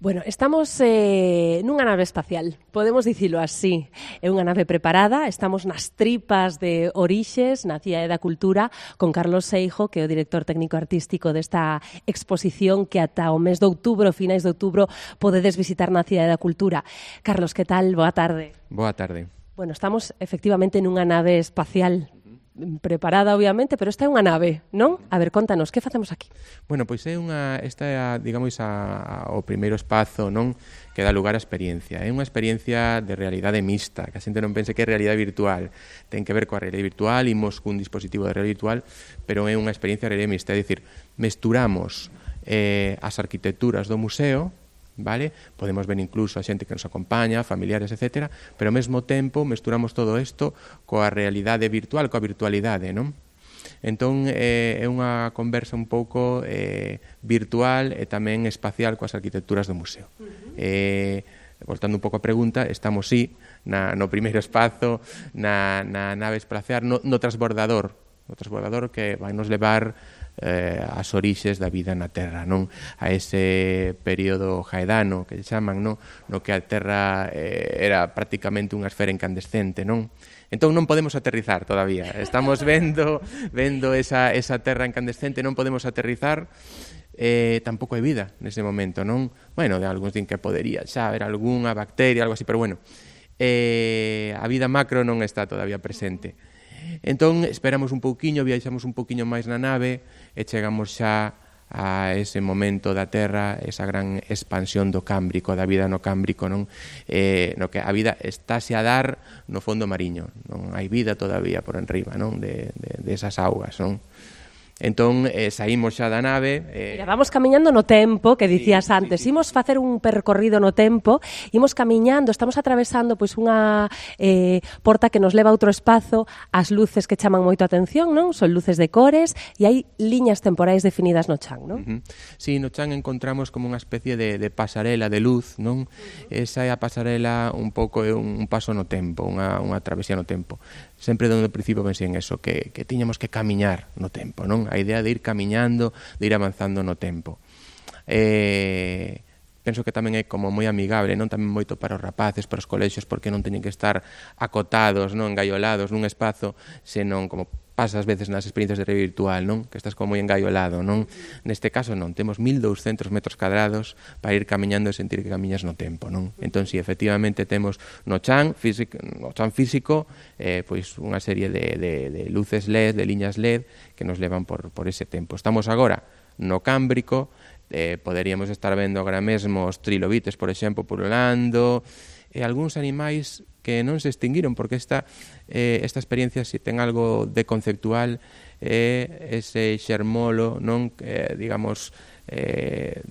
Bueno, estamos nunha nave espacial, podemos dicilo así. É unha nave preparada, estamos nas tripas de Orixes, na Cidade da Cultura, con Carlos Seijo, que é o director técnico artístico desta exposición que ata o mes de outubro, finais de outubro, podedes visitar na Cidade da Cultura. Carlos, que tal? Boa tarde. Boa tarde. Bueno, estamos efectivamente nunha nave espacial, preparada, obviamente, pero esta é unha nave, non? A ver, contanos, que facemos aquí? Bueno, pois esta é, digamos, o primeiro espazo, non? Que dá lugar á experiencia. É unha experiencia de realidade mixta, que a xente non pense que é realidade virtual. Ten que ver coa realidade virtual, imos cun dispositivo de realidade virtual, pero é unha experiencia de realidade mixta, é dicir, mesturamos as arquitecturas do museo, vale? Podemos ver incluso a xente que nos acompaña, familiares, etc. Pero ao mesmo tempo mesturamos todo isto coa realidade virtual, coa virtualidade, non? Entón é unha conversa un pouco virtual e tamén espacial coas arquitecturas do museo. Voltando un pouco a pregunta, estamos no primeiro espazo, na nave espacial, no transbordador que vai nos levar as orixes da vida na Terra, non? A ese período jaedano que chaman, non? No que a Terra era prácticamente unha esfera incandescente, non? Entón non podemos aterrizar todavía. Estamos vendo esa Terra incandescente, non podemos aterrizar. Tampouco hai vida nese momento, non? Bueno, de algúns din que podería xa haber algunha bacteria, algo así, pero bueno, a vida macro non está todavía presente. Entón, esperamos un pouquiño, viaxamos un pouquiño máis na nave e chegamos xa a ese momento da Terra, esa gran expansión do Cámbrico, da vida no Cámbrico, non? No que a vida estáse a dar no fondo mariño, non hai vida todavía por enriba, non? De esas augas, non? Entón, saímos xa da nave. Mira, vamos camiñando no tempo, que dicías antes. Imos facer un percorrido no tempo, imos camiñando, estamos atravesando pois unha porta que nos leva a outro espazo, as luces que chaman moito a atención, non? Son luces de cores e hai liñas temporais definidas no chan, non? Sí, no chan encontramos como unha especie de pasarela de luz, non? Esa é a pasarela un pouco un paso no tempo, unha travesía no tempo. Sempre dando o principio pensei en eso, que tiñamos que camiñar no tempo, non? A idea de ir camiñando, de ir avanzando no tempo. Penso que tamén é como moi amigable, non? Tamén moito para os rapaces, para os colexios, porque non teñen que estar acotados, non? Engaiolados nun espazo, senón como pasa ás veces nas experiencias de realidade virtual, non? Que estás como moi engaiolado, non? Neste caso non, temos 1200 metros cadrados para ir camiñando e sentir que camiñas no tempo, non? Entón, si, efectivamente temos no chan físico, pois unha serie de luces LED, de liñas LED que nos levan por ese tempo. Estamos agora no Cámbrico, poderíamos estar vendo agora mesmo os trilobites, por exemplo, pululando, e algúns animais que non se extinguiron, porque esta experiencia, se ten algo de conceptual, ese xermolo, non? Digamos, que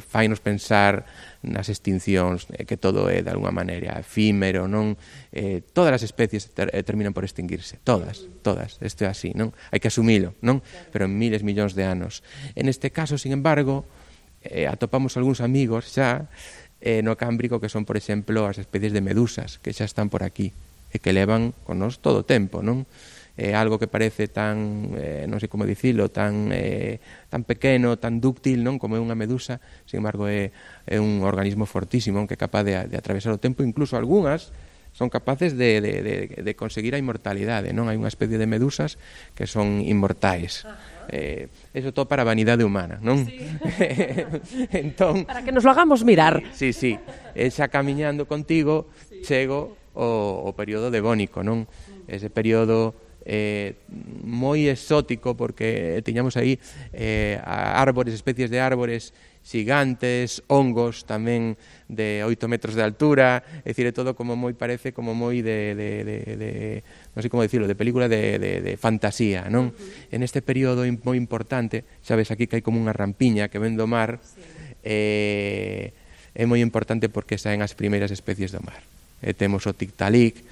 fainos pensar nas extincións, que todo é de alguma maneira efímero, non? Todas as especies terminan por extinguirse, todas, isto é así, non? Hai que asumilo, non? Pero en miles, millóns de anos. En este caso, sin embargo, atopamos algúns amigos xa no Cámbrico, que son, por exemplo, as especies de medusas que xa están por aquí e que levan con nos todo o tempo, non? Algo que parece tan, non sei como dicilo, tan pequeno, tan dúctil, non? Como é unha medusa, sin embargo é un organismo fortísimo que é capaz de atravesar o tempo, incluso algunhas son capaces de conseguir a inmortalidade, non? Hai unha especie de medusas que son inmortais. Eso todo para a vanidade humana, non? Sí. Entón, para que nos lo hagamos mirar. Sí. Xa camiñando contigo, chego o período devónico, non? Ese período moi exótico, porque tiñamos aí árbores, especies de árbores xigantes, hongos tamén de 8 metros de altura, é dicir, é todo como moi, parece como moi non sei como dicilo, de película de fantasía, non? En este período moi importante, xa ves aquí que hai como unha rampiña que ven do mar, é moi importante porque saen as primeiras especies do mar. Temos o tictalic,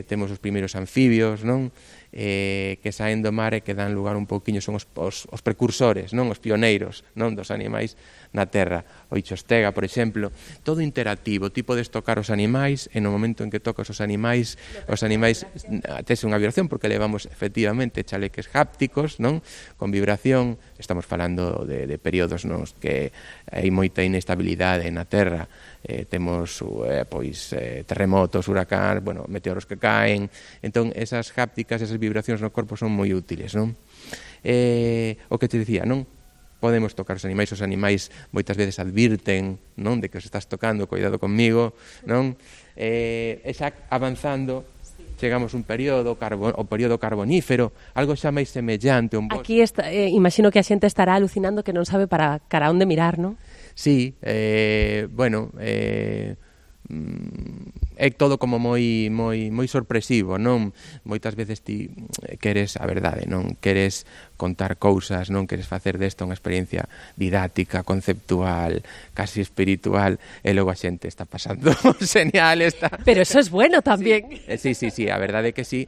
temos os primeiros anfibios, non? que saen do mar e que dan lugar un pouquiño, son os precursores, non, os pioneiros, non, dos animais na terra. O Ichostega, por exemplo, todo interactivo, ti podes tocar os animais e no momento en que tocas os animais tes unha vibración porque levamos efectivamente chaleques hápticos, non, con vibración. Estamos falando de períodos nos que hai moita inestabilidade na terra, temos terremotos, huracán, meteoros que caen, entón esas hápticas, esas vibracións no corpo son moi útiles, non? O que te dicía, non? Podemos tocar os animais moitas veces advirten, non, de que os estás tocando, cuidado conmigo, non? E xa avanzando, chegamos un período, o período carbonífero, algo xa máis semellante a un bosque. Aquí imagino que a xente estará alucinando que non sabe para cara onde mirar, non? Sí, é todo como moi sorpresivo, non? Moitas veces ti queres a verdade, non? Queres contar cousas, non queres facer desta unha experiencia didáctica, conceptual, casi espiritual, e logo a xente está pasando genial. Pero eso es bueno tamén. Sí, a verdade que sí,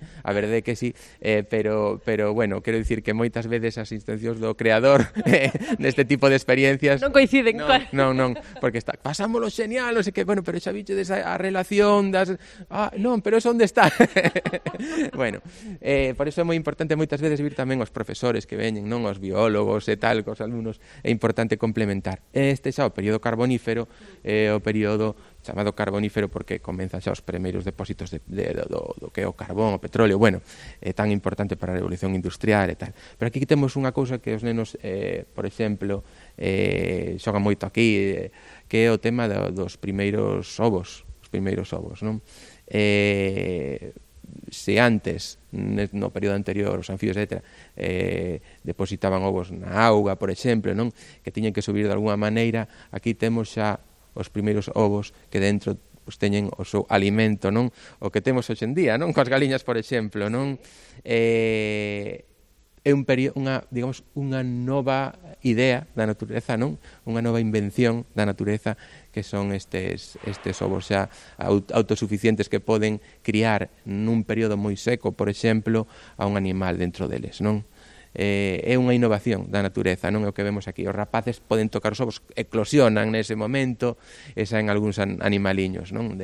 pero bueno, quero dicir que moitas veces as intencións do creador neste tipo de experiencias non coinciden. Non, porque pasámoslo genial, non sei que, bueno, pero xa bichedes a relación das... non, pero eso onde está? Bueno, por iso é moi importante moitas veces vir tamén os profesores que veñen, non, os biólogos e tal, cos alumnos, é importante complementar. Este xa o período carbonífero, o período chamado carbonífero porque comenzan xa os primeiros depósitos do que é o carbón, o petróleo, bueno, é tan importante para a revolución industrial e tal. Pero aquí temos unha cousa que os nenos, por exemplo, xogan moito aquí, que é o tema dos primeiros ovos, non? Se antes, no período anterior, os anfibios, etc., depositaban ovos na auga, por exemplo, non, que tiñen que subir de alguna maneira, aquí temos xa os primeiros ovos que dentro teñen o seu alimento, non? O que temos hoxe en día, non? Coas galiñas, por exemplo, non? É unha nova idea da natureza, non? Unha nova invención da natureza que son estes ovos xa autosuficientes que poden criar nun período moi seco, por exemplo, a un animal dentro deles, non? É unha innovación da natureza, non é o que vemos aquí. Os rapaces poden tocar os ovos, eclosionan nese momento e saen algúns animaliños, non?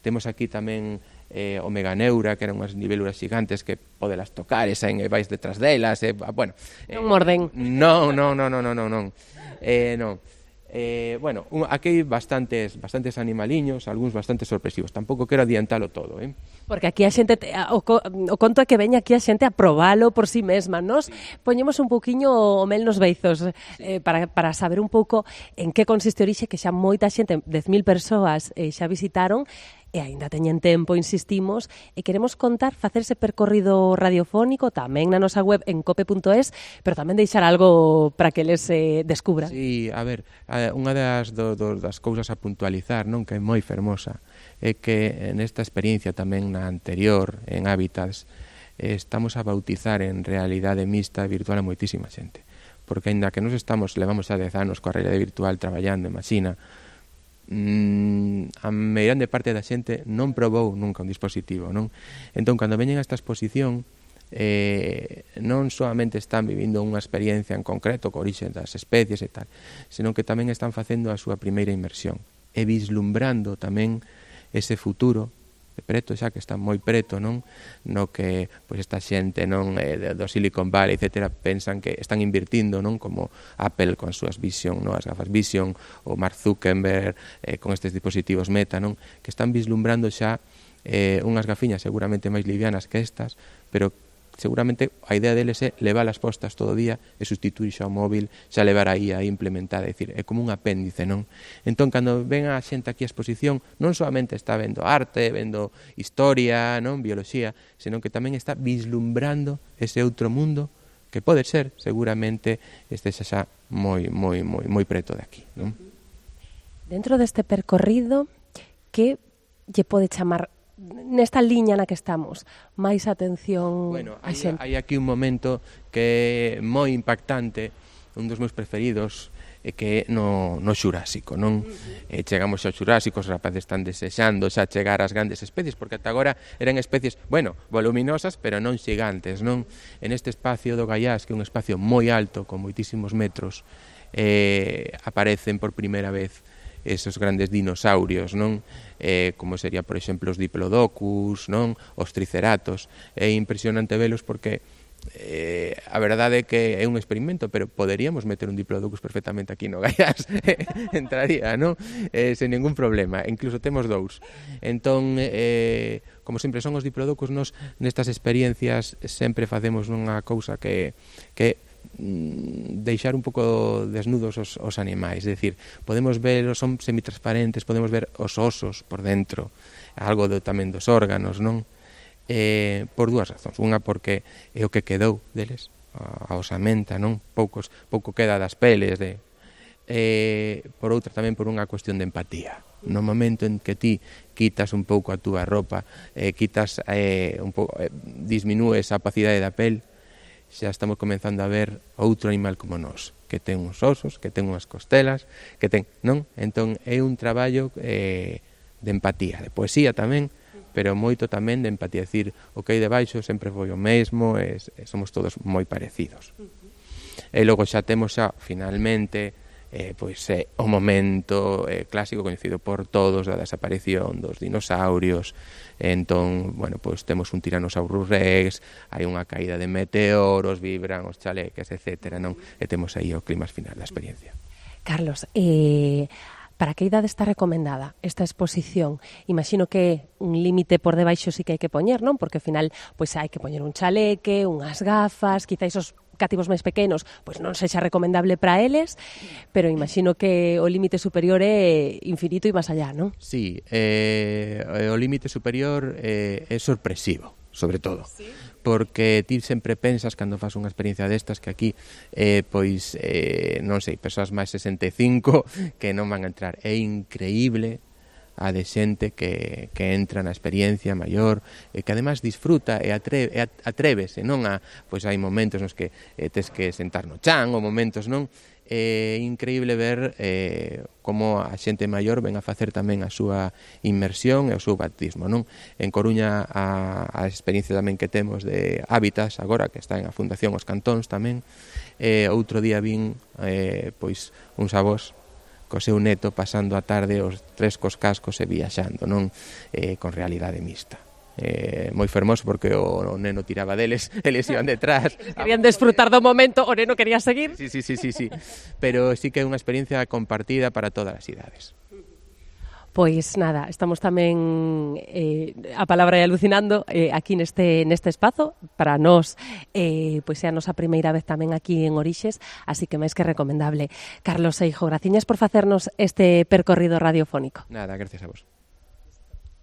Temos aquí tamén o meganeura, que eran unhas niveluras gigantes que podelas tocar e saen e vais detrás delas, bueno... Non morden. Non. Bueno, aquí hai bastantes animaliños, algúns bastante sorpresivos. Tampouco quero adiantalo todo, Porque aquí a xente, o conto é que veña aquí a xente a probalo por si mesma. Nos poñemos un pouquiño o mel nos beizos para saber un pouco en que consiste a orixe, que xa moita xente, 10.000 persoas xa visitaron, e aínda teñen tempo, insistimos, e queremos contar, facerse percorrido radiofónico tamén na nosa web en cope.es, pero tamén deixar algo para que les descubran. Sí, a ver, unha das cousas a puntualizar, non, que é moi fermosa, é que nesta experiencia tamén na anterior, en Hábitats, estamos a bautizar en realidade mixta virtual a moitísima xente, porque aínda que nos levamos xa 10 anos coa realidade virtual traballando en Masina, a meirande parte da xente non probou nunca un dispositivo, non? Entón, cando veñen a esta exposición, non solamente están vivindo unha experiencia en concreto co orixe das especies e tal, senón que tamén están facendo a súa primeira inmersión e vislumbrando tamén ese futuro de preto, xa que está moi preto, non? No que pois esta xente, non, do Silicon Valley, etcétera, pensan que están invirtindo, non, como Apple con as súas Vision, non, as gafas Vision, ou Mark Zuckerberg con estes dispositivos Meta, non, que están vislumbrando xa unhas gafiñas seguramente máis livianas que estas, pero seguramente a idea deles é levar as postas todo o día e sustituir xa o móvil, xa levar aí a implementada, é dicir, é como un apéndice, non? Entón, cando ven a xente aquí a exposición, non solamente está vendo arte, vendo historia, non, bioloxía, senón que tamén está vislumbrando ese outro mundo que pode ser, seguramente, xa moi preto de aquí, non? Dentro deste percorrido, que lle pode chamar nesta liña na que estamos máis atención? Bueno, hai aquí un momento que é moi impactante, un dos meus preferidos, que é no Xurásico, non? Chegamos ao Xurásico, os rapaces están desexando xa chegar ás grandes especies, porque ata agora eran especies, bueno, voluminosas, pero non xigantes, non? En este espacio do Gaiás, que é un espacio moi alto, con moitísimos metros, aparecen por primeira vez esos grandes dinosaurios, non? Como sería, por exemplo, os Diplodocus, non? Os Triceratos. É impresionante velos porque a verdade é que é un experimento, pero poderíamos meter un Diplodocus perfectamente aquí no Gaiás. Entraría, non? Sen ningún problema. Incluso temos dous. Entón, como sempre son os Diplodocus, nos nestas experiencias sempre facemos unha cousa que deixar un pouco desnudos os animais, é dicir, podemos ver, son semitransparentes, podemos ver os osos por dentro, algo tamén dos órganos, non? Por dúas razóns, unha porque é o que quedou deles, a osamenta, non? Pouco queda das peles, por outra tamén por unha cuestión de empatía. No momento en que ti quitas un pouco a túa roupa, disminúes a opacidade da pel, xa estamos comenzando a ver outro animal como nós, que ten uns osos, que ten unhas costelas, que ten, non? Entón é un traballo de empatía, de poesía tamén, pero moito tamén de empatía, decir, o que hai debaixo sempre foi o mesmo, somos todos moi parecidos. E logo xa temos finalmente, o momento clásico coñecido por todos da desaparición dos dinosaurios. Entón, bueno, pois temos un Tyrannosaurus Rex, hai unha caída de meteoros, vibran os chaleques, etcétera, non? E temos aí o climax final da experiencia. Carlos, para que idade está recomendada esta exposición? Imagino que un límite por debaixo sí que hai que poñer, non? Porque ao final pois hai que poñer un chaleque, unhas gafas, quizás os cativos máis pequenos, pois non sexa recomendable para eles, pero imagino que o límite superior é infinito e máis allá, non? Sí, o límite superior é sorpresivo, sobre todo. ¿Sí? Porque ti sempre pensas, cando fas unha experiencia destas, que aquí, non sei, persoas máis 65 que non van a entrar. É increíble a de xente que entra na experiencia maior, que además disfruta e atrévese, non? Pois hai momentos nos que tes que sentar no chan, ou momentos, non? É increíble ver como a xente maior ven a facer tamén a súa inmersión e o seu bautismo, non? En Coruña a experiencia tamén que temos de Hábitats agora, que está en a Fundación Os Cantóns tamén, outro día vin pois uns avós co seu neto pasando a tarde os tres cos cascos e viaxando, non? Con realidade mixta. Moi fermoso porque o neno tiraba deles, eles iban detrás. Querían desfrutar do momento, o neno quería seguir. Sí. Pero sí que é unha experiencia compartida para todas as idades. Pois nada, estamos tamén a palabra é alucinando aquí neste espazo para nós, pois é a nosa primeira vez tamén aquí en Orixes, así que máis que recomendable. Carlos Seijo, graciñas por facernos este percorrido radiofónico. Nada, gracias a vos.